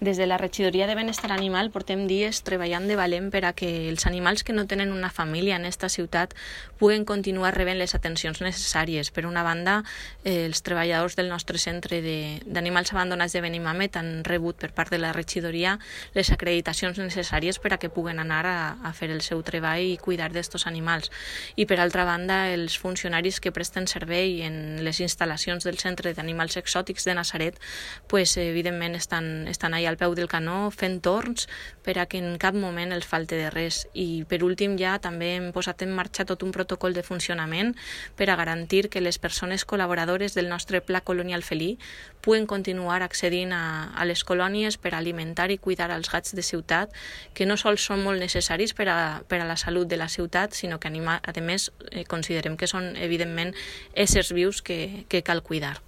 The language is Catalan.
Des de la Regidoria de Benestar Animal portem dies treballant de valent per a que els animals que no tenen una família en esta ciutat puguen continuar rebent les atencions necessàries. Per una banda, els treballadors del nostre centre d'animals abandonats de Benimàmet han rebut per part de la Regidoria les acreditacions necessàries per a que puguen anar a fer el seu treball i cuidar d'estos animals. I per altra banda, els funcionaris que presten servei en les instal·lacions del Centre d'Animals Exòtics de Natzaret, evidentment estan allà al peu del canó fent torns per a que en cap moment els falte de res. I per últim ja també hem posat en marxa tot un protocol de funcionament per a garantir que les persones col·laboradores del nostre Pla Colonial Felí puguen continuar accedint a les colònies per alimentar i cuidar els gats de ciutat, que no sols són molt necessaris per a la salut de la ciutat, sinó que a més considerem que són evidentment éssers vius que cal cuidar.